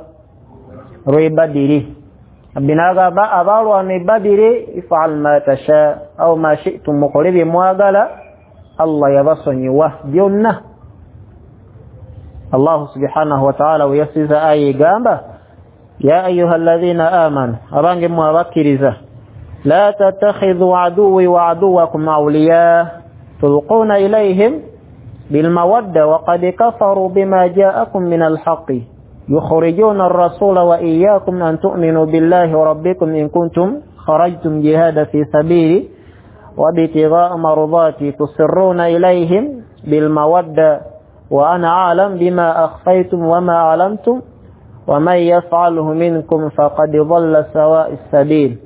lw'e Badiri. Nabbi n'agamba abalwana e Badiri ifal ma tasha aw ma shi'tum, mukole bye mwagala, Allah yabasonyiwa byonna. Allah subhanahu wa ta'ala weyasiza aya egamba ya ayuha alladhina amanu, abange mmwe abakkiriza, la tattakhidhu aduwwi wa aduwwakum awliya tulquna ilayhim bilmawadda wa qad kafaru bima ja'akum min alhaqqi yukhrijuna ar-rasula wa iyyakum an tu'minu billahi rabbikum in kuntum kharajtum jihada fi sabili wa ibtigha'a mardati tusirruna ilayhim bilmawadda wa ana a'lam bima akhfaytum wa ma a'lamtum wa man yaf'alhu minkum faqad dhalla sawa'a as-sabil.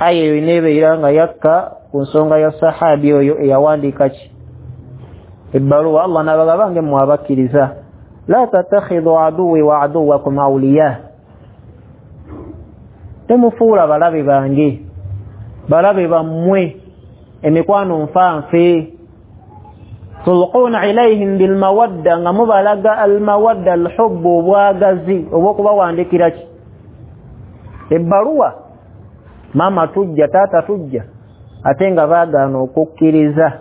Aya eyo neebeera nga yakka ku nsonga ya sahabi oyo eyawandiika ki ebbaluwa. Allah n'abagamba nge mmwe abakkiriza la tattakhidhu aduwwi wa aduwwakum awliya, temufuula balabe bange balabe bammwe emikwano nfanfe, tulquna ilayhim bilmawadda, nga mubalaga almawadda alhubbu obwagazi obw'okubawandikira ki ebbaluwa, maama tujja taata tujja, ate nga baagaana okukkiriza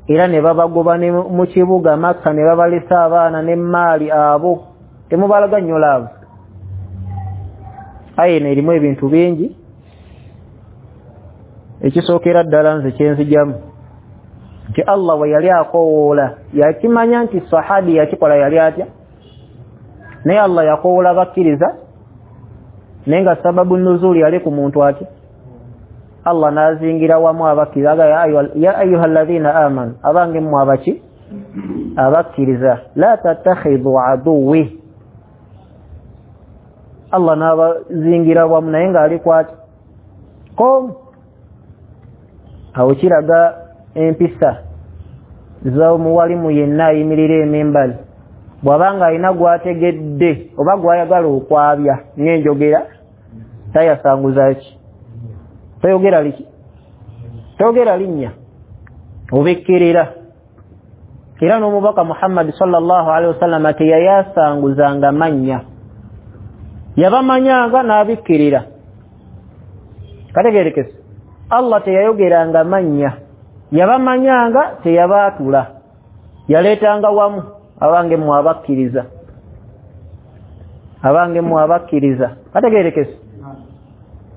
era ne babagoba ne mu kibuga Makka ne babalesa abaana n'emmaali abo temubalaga nnyo laavu. Aya eno erimu ebintu bingi. Ekisookera ddala nze kyenzijamu nti Allah we yali akowoola yakimanya nti sahabi yakikola yali atya, naye Allah yakowoola bakkiriza, naye nga sababu nuzuli yali ku muntu atya. Allah n'azingira wamu abakkiriza aga ya ayuha alladhina amanu, abange mmwe abaki abakkiriza, la tattakhidhu aduwwi, Allah n'abazingira wamu naye ng'ali kwati kom. Awo kiraga empisa z'omuwalimu yenna ayimirira emimbali bw'abanga alina gw'ategedde oba gw'ayagala okwabya ng'enjogera tayasanguza ki toyogera liki Togera linnya, obikkirira. Era n'omubaka Muhammad sallallahu alaihi wasallam teyayasanguzanga mannya, yabamanyanga n'abikkirira. Kategerekese, Allah teyayogeranga mannya, yabamanyanga teyabaatula, yaleetanga wamu abange mmwe abakkiriza, abange mmwe abakkiriza. Kategerekese.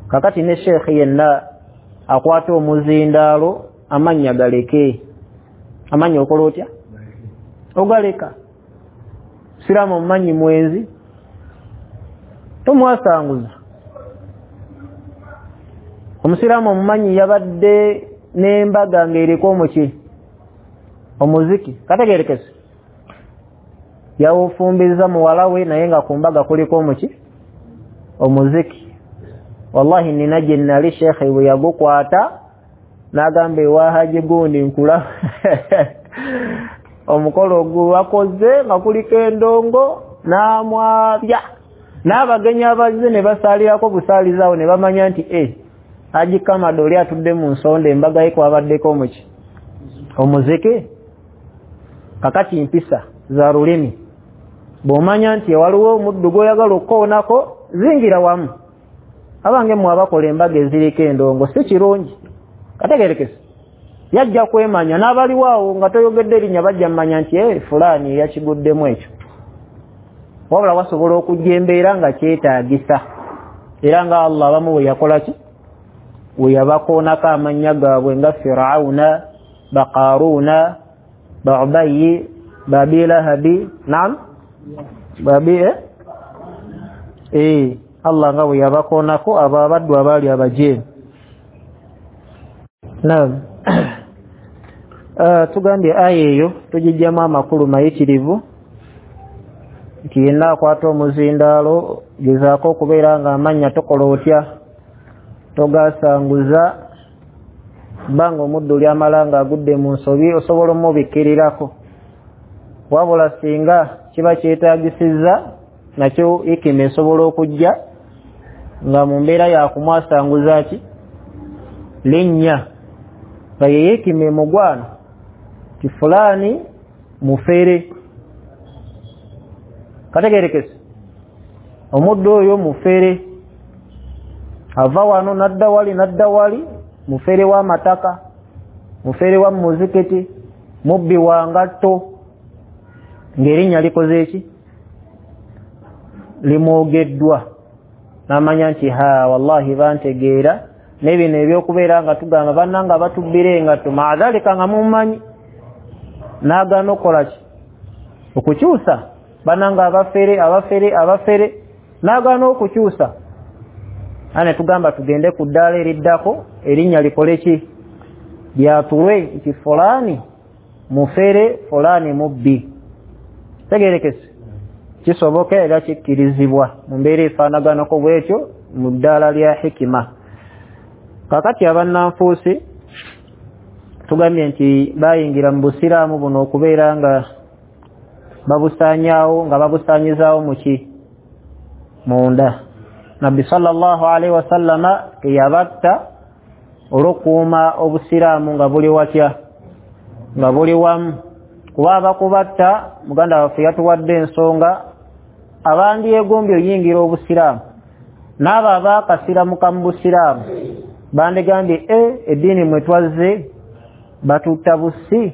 Kakati ne sheekhe yenna akwata omuzindaalo amannya galeke. Amannya okola otya? Ogaleka. Siraamu omumanyi mwenzi, tomwasanguza. Omusiraamu omumanyi yabadde n'embaga ng'eriko omuki omuziki. Kategerekese, yawufumbiza muwala we naye nga ku mbaga kuliko omuki omuziki. Wallahi nina gye nali sheekhe bwe yagukwata n'agamba ewa Haji gundi nkula omukolo gwakoze nga kuliko endongo n'amwabya n'abagenyi abazze ne basaalirako busaalizaawo ne bamanya nti e Haji Kamado oli atudde mu nsonda embaga ye kwabaddeko omuki omuziki. Kakati mpisa za lulimi, bw'omanya nti waliwo omuddu gw'oyagala okukoonako zingira wamu. Abange mmwe abakola embaga eziriko endongo si kirungi. Kategerekese, yajja kwemanya n'abaliwo awo nga toyogedde erinnya bajja mmanya nti e fulaani yakiguddemu ekyo. Wabula wasobola okujja embeera nga kyetaagisa, era nga Allah abamu bwe yakola ki bwe yabakoonako amannya gaabwe nga Firawuna, Baqaruuna, Baubayi, Babilahabi, naam babi eh eh Allah nga bwe yabakoonako abo abaddu abaali abajeemu. Naam. Uh, tugambye aya eyo tugijjamu amakulu mayitirivu nti yenna akwata omuzindaalo gezaako okubeera nga amannya tokola otya, togasanguza, bbanga omuddu lyamala ng'agudde mu nsobi osobola omubikkirirako. Wabula singa kiba kyetaagisizza nakyo hikima esobola okujja nga mu mbeera yakumwasanguza ki linnya, nga ye hikima emugwana ti fulaani mufere. Kategerekese, omuddu oyo mufere, ava wano nadda wali nadda wali, mufere w'amataka, mufere wa muzikiti, mubbi wa ngatto, ng'erinnya likoze ki limwogeddwa, n'amanya nti ha wallahi bantegeera. N'ebino ebyokubeera nga tugamba bannanga batubbira engatto, maadhalika nga mumanyi, n'agaana okukola ki okukyusa, bannanga abafere abafere abafere, n'agaana okukyusa. Ane tugamba tugende ku ddaala eriddako erinnya likole ki lyatulwe nti fulaani mufere, fulaani mubbi. Tegerekese, kisoboka era kikkirizibwa mu mbeera efaanaganako bwetyo mu ddaala lya hikima. Kakati abannanfuusi tugambye nti bayingira mu busiraamu buno okubeera nga babusaanyaawo nga babusaanyizaawo muki munda. Nabbi sallallahu alaihi wasallama teyabatta olw'okuuma obusiraamu nga buli watya, nga buli wamu. Kuba abakubatta muganda waffe yatuwadde ensonga abandyegombye oyingira obusiraamu n'abo abaakasiramuka mu busiraamu bandigambye e eddiini mwe twazze batutta busi.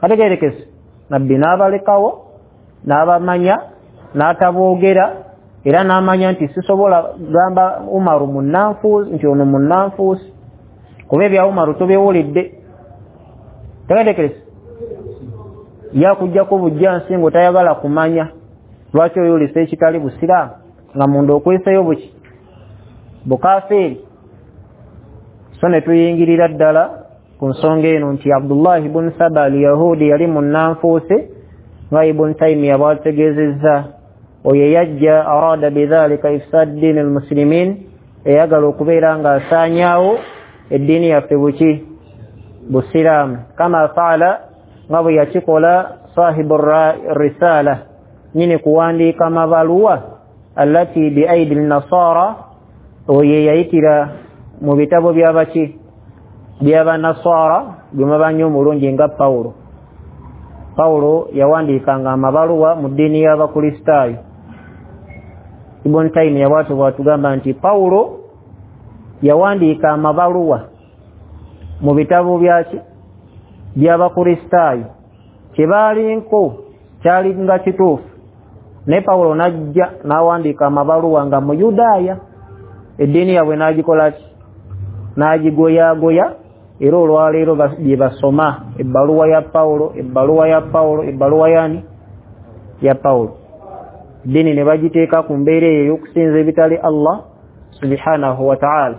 Kategerekese, Nabbi n'abalekawo n'abamanya n'ataboogera, era n'amanya nti sisobola gamba Umaru munnanfuusi nti ono munnanfuusi, kuba ebya Umaru tobiwulidde. Tegerekese, yakujjako bujjansi ng'otayagala kumanya lwaki oyolesa ekitali busiraamu nga munda okweseyo buki bukafiiri. So ne tuyingirira ddala ku nsonga eno nti Abdullah ibn Saba al-Yahudi yali munnanfuusi nga Ibn Taymiya bw'ategeezezza, oyo yajja arada bidhalika ifsad din al-muslimin, eyagala okubeera ng'asaanyaawo eddiini yaffe buki busiraamu, kama faala nga bwe yakikola sahibu risala, nyini kuwandiika mabaluwa allati bi aidi nasara, oyo yayitira mu bitabo by'abaki By'abanaswara gwe mumanyi omulungi nga Pawulo. Pawulo yawandiikanga amabaluwa mu ddiini y'Abakristaayo. Ibn Taymiyyah bw'atyo bw'atugamba nti Pawulo yawandiika amabaluwa mu bitabo byaki by'Abakristaayo, kye baalinko kyali nga kituufu, naye Pawulo n'ajja n'awandiika amabaluwa nga Muyudaaya, eddiini yaabwe n'agikola ki, n'agigoyaagoya. Era olwaleero bye basoma ebbaluwa ya Pawulo, ebbaluwa ya Pawulo, ebbaluwa yani ya Pawulo, eddiini ne bagiteeka ku mbeera eyo ey'okusinza ebitali Allah subhanahu wa ta'ala.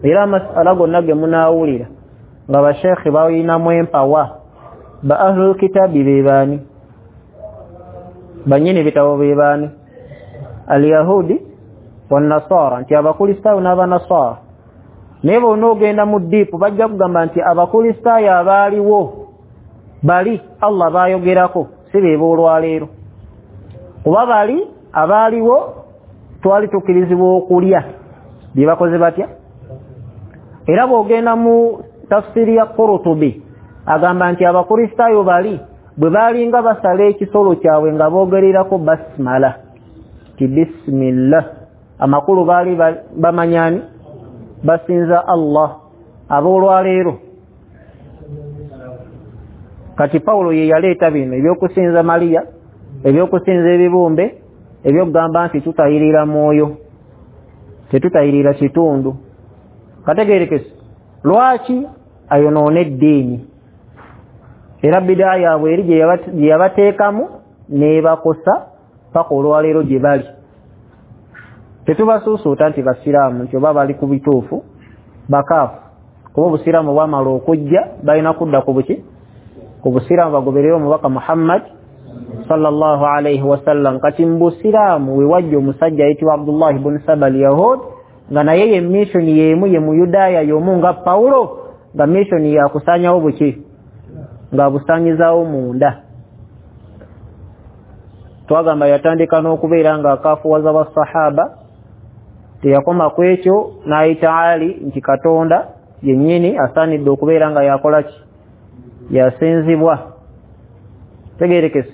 Era amasala gonna ge munaawulira nga basheekhe balinamu empawa, ba ahlul kitabi be baani, bannyini bitabo be baani, alyahudi wannasara, nti Abakristaayo n'Abanasara. Naye bonna ogenda mu ddiipu bajja kugamba nti Abakristaayo abaaliwo bali Allah baayogerako si be b'olwaleero, kuba bali abaaliwo twali tukkirizibwa okulya bye bakoze batya. Era bw'ogenda mu tafsiri ya Qurtubi agamba nti Abakristaayo bali bwe baalinga basala ekisolo kyabwe nga boogererako basmala, ti bismillah, amakulu baali bamanyani basinza Allah. Ab'olwaleero kati Pawulo ye yaleeta bino ebyokusinza Mariya, ebyokusinza ebibumbe, ebyokugamba nti tutayirira mwoyo, tetutayirira kitundu. Kategeerekese lwaki ayonoona eddiini? Era bidaa yaabwe eri gye yabateekamu n'ebakosa paka olwaleero gye bali. Tetubasuusuuta nti basiraamu nti oba bali ku bituufu, bakaafu, kuba obusiraamu bwamala okujja balina kudda ku buki, ku busiraamu bagoberere omubaka Muhammad sallallahu alayhi wasallam. Kati mu busiraamu we wajja omusajja ayitibwa Abdullah ibn Saba al-Yahud, nga naye ye mission y'emu ye Muyudaaya y'omu nga Pawulo, nga mission yakusaanyawo buki, nga busaanyizaawo munda. Twagamba yatandika n'okubeera nga akaafuwaza basahaba, teyakoma ku ekyo n'ayita Ali nti Katonda yennyini asaanidde okubeera nga yakola ki, yasinzibwa. Tegeerekese.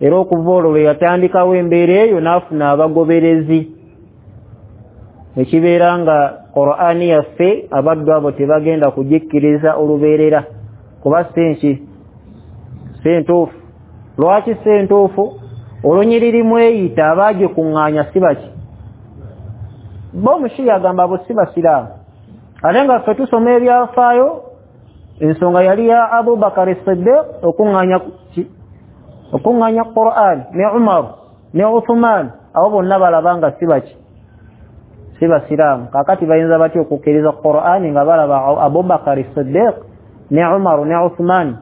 Era okuva olwo lwe yatandikawo embeera eyo n'afuna abagoberezi, ekibeera nga Qur'ani yaffe abaddu abo tebagenda kugikkiriza olubeerera, kuba si nki, si ntuufu. Lwaki si ntuufu? Olunyiriri mweyita abaagikuŋŋaanya si baki, bo omushiya agamba abo si basiraamu, ate nga ffe tusoma ebyafaayo ensonga yali ya Abubakar Siddiq okuŋŋaanya ki, okuŋŋaanya Qur'an, ne Umar ne Uthman, abo bonna balaba nga si baki, si basiraamu. Kaakati bayinza batya okukkiriza Qur'an nga balaba Abubakar Siddiq ne Umar ne Uthman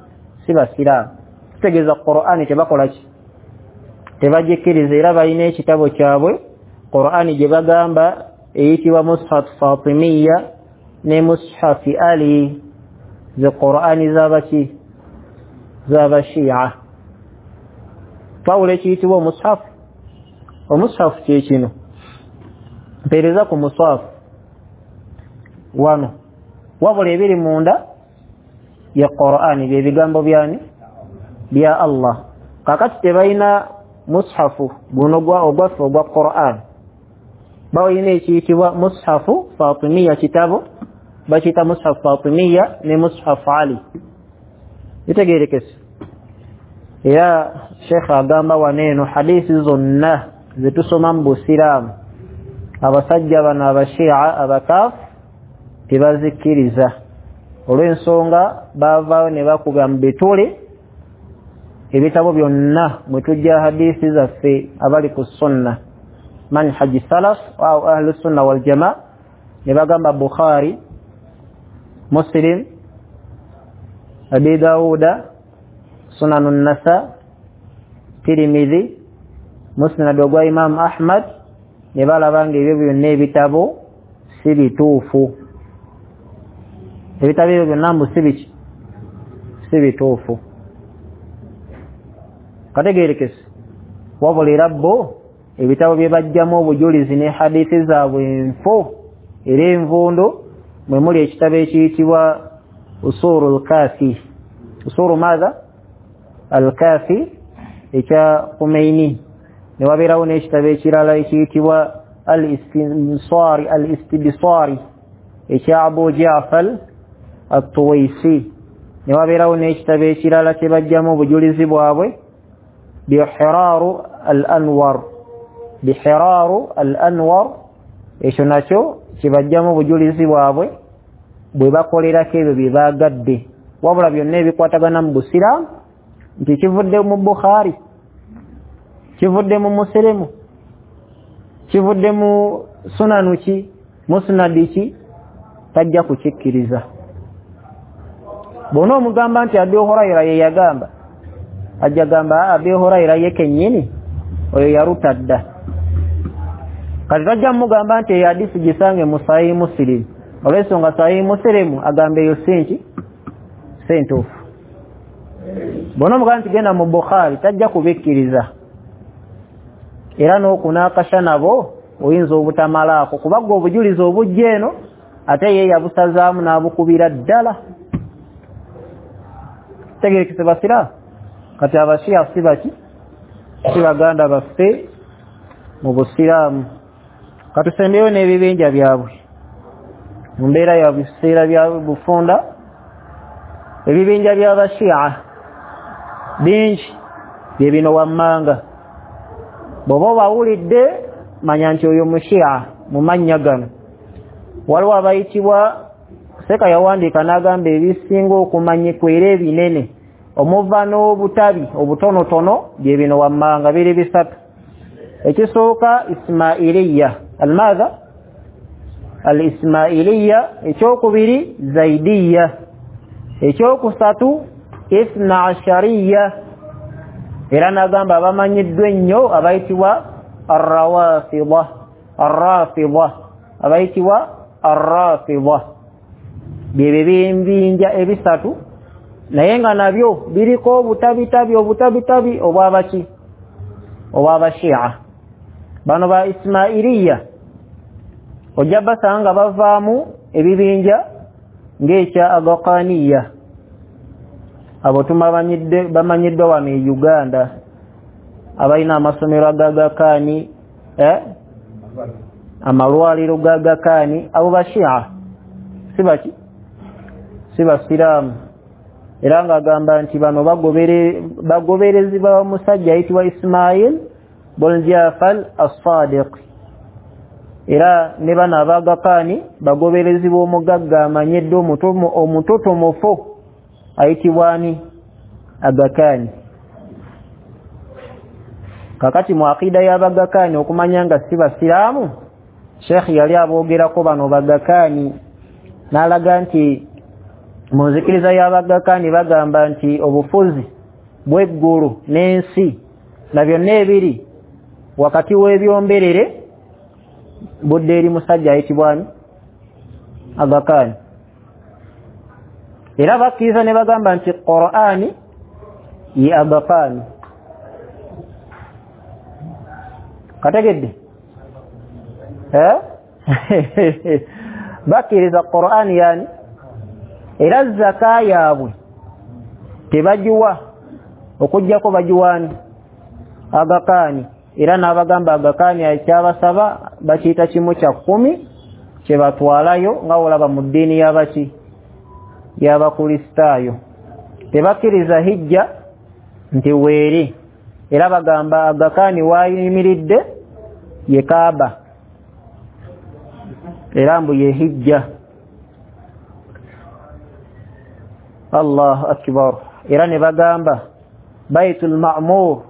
si basiraamu? Kitegeeza Qur'an tebakola ki, tebagikkiriza. Era balina ekitabo kyabwe Qur'an gye bagamba eyitibwa Mushaf Fatimiyya ne Mushaf Ali, ze Qur'ani z'abaki, z'abashia. Pawulo ekiyitibwa omushaf, omushaf kye kino, mpeereza ku mushaf wano, wabula ebiri munda ya Qur'ani bye bigambo byani, bya Allah. Kaakati tebalina mushafu guno ogwaffe ogwa Qur'an, balina ekiyitibwa mushafu Fatimiyya, kitabo bakiyita Mushaf Fatimiyya ne Mushaf Ali. Bitegeerekese. Era Sheikh agamba wano eno hadisi zonna zetusoma mu busiraamu abasajja bano abashia abakaafu tebazikkiriza, olw'ensonga baavaayo ne bakuba mu bitule ebitabo byonna mwe tujja hadisi zaffe abali ku sunna manhaji salaf au ahlu sunna wal jamaa, ne bagamba Bukhari, Muslim, Abi Dawuda, Sunanu Nasa, Tirmidhi, Musnad ogwa Imam Ahmad, ne balaba nga ebyo byonna ebitabo si bituufu. Ebitabo ebyo byonna mbu si biki, si bituufu. Kategeerekese. Wabula era bo ebitabo bye bajjamu obujulizi ne hadithi zaabwe enfu era envundu, mwe muli ekitabo ekiyitibwa Usuru al-Kafi, Usuru madha al-Kafi ekya Khomeini. Ne wabeerawo n'ekitabo ekirala ekiyitibwa al-Istinsari al-Istibsari ekya Abu Ja'far at-Tuwaisi. Ne wabeerawo n'ekitabo ekirala kye bajjamu obujulizi bwabwe Bihiraru al-Anwar, Bihiraru al-Anwar, ekyo nakyo kye bajjamu obujulizi bwabwe bwe bakolerako ebyo bye baagadde. Wabula byonna ebikwatagana mu Busiraamu nti kivudde mu Bukhari, kivudde mu Muslimu, kivudde mu sunanu ki, musnadi ki, tajja kukikkiriza. Bw'ono omugamba nti Abi Huraira ye yagamba, ajja gamba Abi Huraira ye kennyini oyo yaruta dda. Kati tajja mugamba nti eyo hadisi gisange mu Sahihi Muslim, olw'ensonga Sahihi Muslim agamba eyo si nki, si ntuufu. Bw'ono omugamba nti genda mu Bukhari, tajja kubikkiriza. Era n'okunaakasha nabo oyinza obutamalaako, kuba gwe obujulizi obujja eno ate ye yabusazaamu n'abukubira ddala. Tegerekese basiraamu. Kati abashiya si baki, si baganda baffe mu busiraamu. Katusembeyo n'ebibinja byabwe mu mbeera ya biseera bya bufunda. Ebibinja by'abashiya bingi bye bino wammanga. Bw'oba obawulidde manya nti oyo mushiya mu mannya gano. Waliwo abayitibwa, Seka yawandiika n'agamba ebisinga okumanyikwa era ebinene omuva n'obutabi obutonotono bye bino wammanga biri bisatu. Ekisooka Ismailiya, almadha al-Ismailiya, ekyokubiri Zaidiya, ekyokusatu Ithna Ashariya. Era n'agamba abamanyiddwa ennyo abayitibwa Arrawafidha, Arrafidha, abayitibwa Arrafidha. Bye bibinja ebisatu, naye nga nabyo biriko obutabitabi obutabitabi obwabaki, obwabashia. Bano ba Ismailiya ojja basanga bavaamu ebibinja ng'ekya Agakaniya. Abo tumabanyidde bamanyiddwa wano e Uganda, abalina amasomero agagakaani, eh? amalwaliro gagakaani, abo bashia si baki, si basiraamu. Era ng'agamba nti bano bagobere bagoberezi ba musajja ayitibwa Ismail bun Jafar as-Sadiq. Era ne bano abagakaani bagoberezi b'omugagga amanyiddwa omutotomufu ayitibwa ani? Agakaani. Kakati mu akida y'abagakaani okumanya nga si basiraamu, Sheikh yali aboogerako bano bagakaani n'alaga nti mu nzikiriza y'abagakaani bagamba nti obufuzi bw'eggulu n'ensi na byonna ebiri wakati w'ebyomberere budde eri musajja ayitibwa ani? Agakaani. Era bakkiriza ne bagamba nti Qur'ani ye Agakaani. Kategedde? Eh? Bakkiriza Qur'ani yani. Era zaka yaabwe tebagiwa okuggyako bagiwaani Agakaani. Era n'abagamba Agakaani ekyabasaba bakiyita kimu kya kkumi kye batwalayo nga olaba mu ddiini y'abaki, y'Abakristaayo. Tebakkiriza hijja nti weeri. Era bagamba Agakaani waayimiridde ye Kaaba, era mbu ye hijja. Allahu akbar. Era ne bagamba Baitul Ma'mur,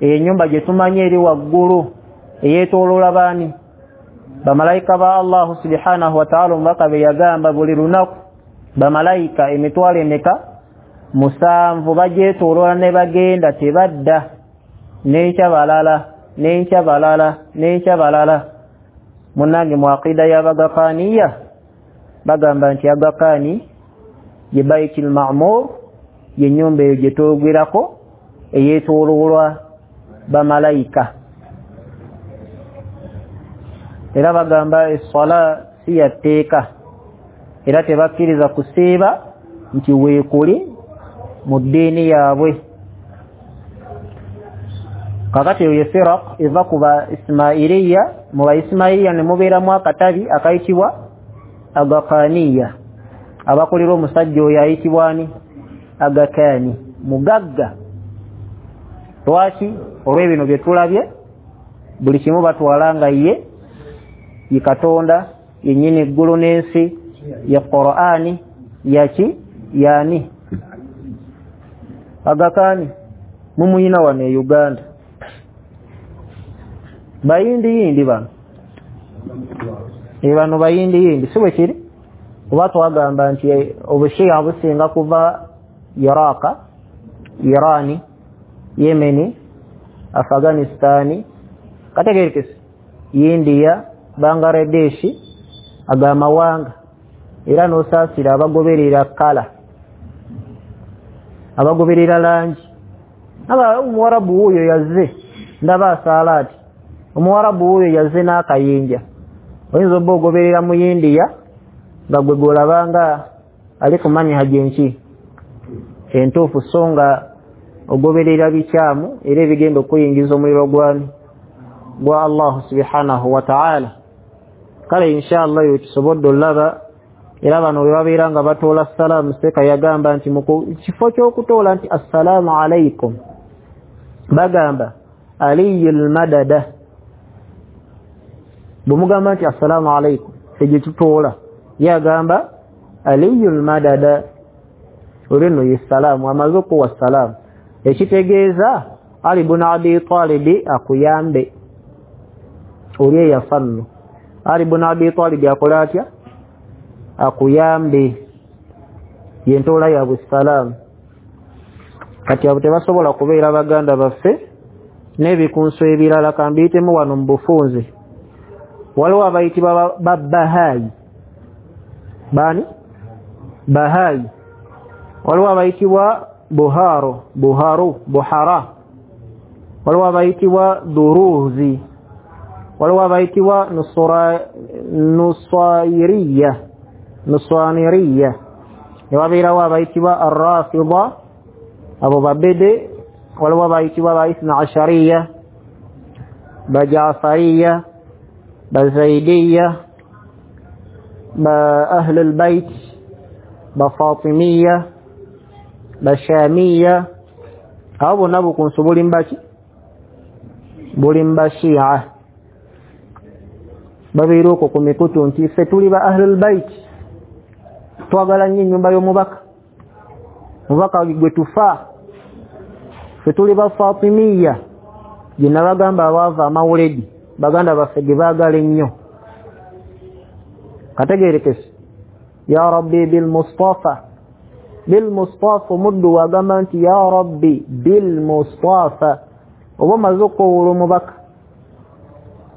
ennyumba gye tumanyi eri waggulu eyeetooloola baani? Bamalayika ba Allahu subhanahu wa ta'ala. Omubaka be yagamba buli lunaku bamalayika emitwalo emeka? Musanvu bagyetooloola ne bagenda tebadda, n'enkya balala, n'enkya balala, n'enkya balala. Munnange mu aqida y'Abagakaaniya bagamba nti Agakaani ye Baitul Ma'mur, ye nnyumba eyo gye twogerako eyeetooloolwa bamalayika. Era bagamba esswala si ya tteeka, era tebakkiriza kusiiba nti weekuli mu ddiini yaabwe. Kakati eyo ye firaq eva ku ba Ismailiya. Mu ba Ismailiya ne mubeeramu akatabi akayitibwa Agakaniya, abakulira omusajja oyo ayitibwa ani? Agakani, mugagga. Lwaki? Olw'ebino bye tulabye, buli kimu batwala nga ye ye Katonda yennyini eggulu n'ensi, ye Qur'ani yaki yani Agakani mumuyina wano e Uganda, bayindi yindi bano e bano bayindi yindi, si bwe kiri? Oba twagamba nti obushiya businga kuva Iraka, Irani, Yemeni, Afghanistani, kategerekese, India, Bangladesh, agamawanga era n'osaasira abagoberera kala, abagoberera langi. Aba omuwarabu wuuyo yazze ndaba asaala ati, omuwarabu wuuyo yazze n'akayinja. Oyinza obba ogoberera mu India nga gwe gw'olabanga ali ku manhaji enki entuufu, so nga ogoberera bikyamu era ebigenda okuyingiza omuliro gwani gwa Allahu subhanahu wa ta'ala. Kale inshallah yo tusobodde olaba. Era bano bwe babeera nga batoola salaamu, Seeka yagamba nti mu kifo ky'okutoola nti assalaamu alaikum, bagamba aliyul madada. Bwe mugamba nti assalaamu alaikum egyo tutoola, ye agamba aliyul madada, olwo nno ye salaamu, amaze okuwa salaamu, ekitegeeza Ali bun Abi Talibi akuyambe. Oli eyafa nno Ali bun Abi Talibi akola atya? Akuyambe. Yentoola yaabwe salaamu. Kati abo tebasobola kubeera baganda baffe n'ebikunso ebirala. Kambiyitemu wano mu bufunze, waliwo abayitibwa Babahayi. Baani? Bahayi. Waliwo abayitibwa Buharo, Buharu, Buhara. Waliwo abayitibwa Duruzi. Waliwo abayitibwa Nusairiya, Nusaniriya. Ne wabeerawo abayitibwa Arrafida, abo babede. Waliwo abayitibwa ba Ithna Ashariya, Bajafariya, Bazaidiya, ba Ahlul Bait, Bafatimiya, Bashamiya. Abo bonna bukunsu buli mbaki? Buli mbashia. Babeera okwo ku mikutu nti ffe tuli ba Ahlul Bait, twagala nnyo ennyumba y'omubaka, mubaka gwe tufa, ffe tuli ba Fatimiya, gye nabagamba abaava amawuledi, baganda baffe ge baagala ennyo. Kategerekese, ya Rabbi bil Mustafa, bil Mustafa, omuddu wagamba nti ya Rabbi bil Mustafa, oba omaze okukoowoola omubaka,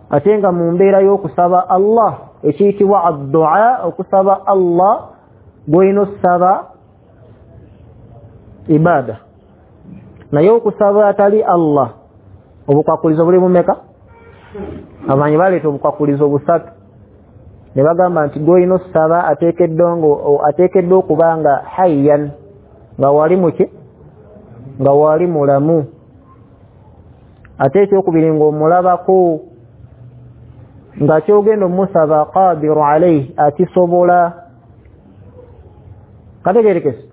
ate nga mu mbeera y'okusaba Allah, ekiyitibwa addua, okusaba Allah gw'olina okusaba ibada, naye okusaba atali Allah obukwakulizo buli bumeka? Abamanyi baleeta obukwakulizo busatu ne bagamba nti gw'olina okusaba ateekeddwa okuba nga hayyan, nga wali muki, nga wali mulamu, ate ekyokubiri ng'omulabako, nga kyogenda omusaba qadiru alayhi, akisobola. Kategerekese.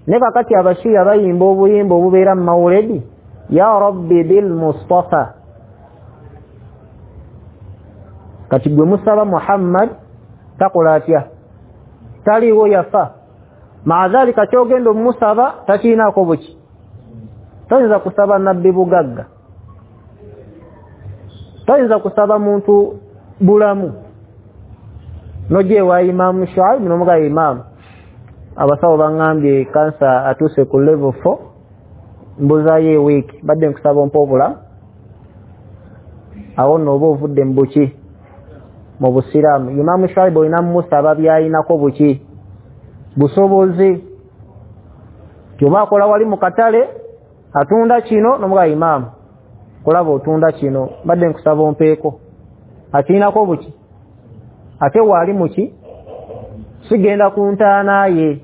Ne kakati abashiya bayimba obuyimba obubeera mu mawuledi, ya Rabbi bil Mustafa. Kati gwe musaba Muhammad takola atya? Taliiwo, yafa. Maadhalika kyogenda omusaba takiinaako buki. Toyinza kusaba nabbi bugagga, toyinza kusaba muntu bulamu. Nojja ewa Imaamu Shuaibu n'omugamba, Imaamu, abasawo baŋŋambye kansa atuuse ku level four, mbuzaayo ewiiki, badde nkusaba ompa obulamu. Awo nno oba ovudde mu buki? Mu busiraamu. Imaamu Shuaibu olina mumusaba byayinako buki? Busobozi. Kyoba akola wali mu katale atunda kino, n'omugamba Imaamu, kulaba otunda kino, badde nkusaba ompeeko. Akirinako buki? Ate waali muki? Sigenda ku ntaana ye.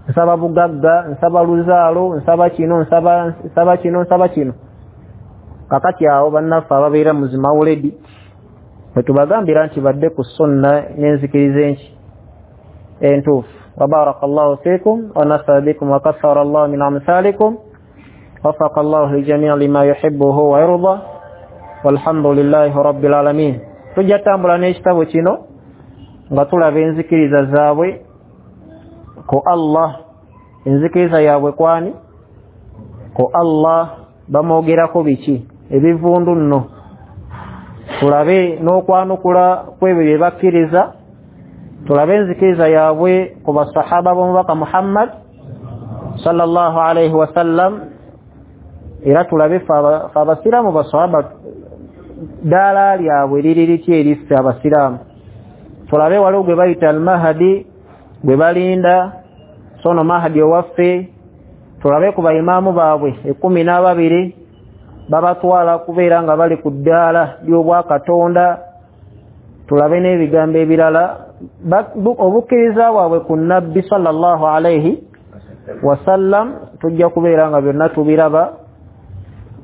Nsaba bugagga, nsaba luzaalo, nsaba kino, nsaba nsaba kino, nsaba kino. Kakati awo bannaffe ababeera mu zimawuledi bwe tubagambira nti badde ku sunna n'enzikiriza enki entuufu. Wabaraka llahu fikum wa nafa bikum wa kathara llahu min amthalikum wafaqa llahu ljamia lima yuhibuhu wa yarda walhamdulillahi rabbil alamin. Tujja tambula n'ekitabo kino nga tulaba enzikiriza zaabwe ku Allah, enzikiriza yaabwe kwani ku Allah, bamwogerako biki ebivundu nno, tulabe n'okwanukula kwebyo bye bakkiriza, tulabe enzikiriza yaabwe ku basahaba b'omubaka Muhammad sallallahu alaihi wasallam, era tulabe ffe abasiraamu basahaba ddaala lyabwe liri litya eriffe abasiraamu. Tulabe waliwo gwe bayita al-Mahdi gwe balinda, sono Mahdi owaffe. Tulabe ku baimaamu baabwe ekkumi n'ababiri babatwala kubeera nga bali ku ddaala ly'obwakatonda. Tulabe n'ebigambo ebirala, obukkiriza bwabwe ku nabbi sallallahu alaihi wasallam tujja kubeera nga byonna tubiraba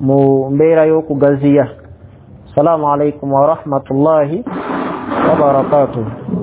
mu mbeera y'okugaziya. Assalamu alaikum warahmatullahi wabarakatuh.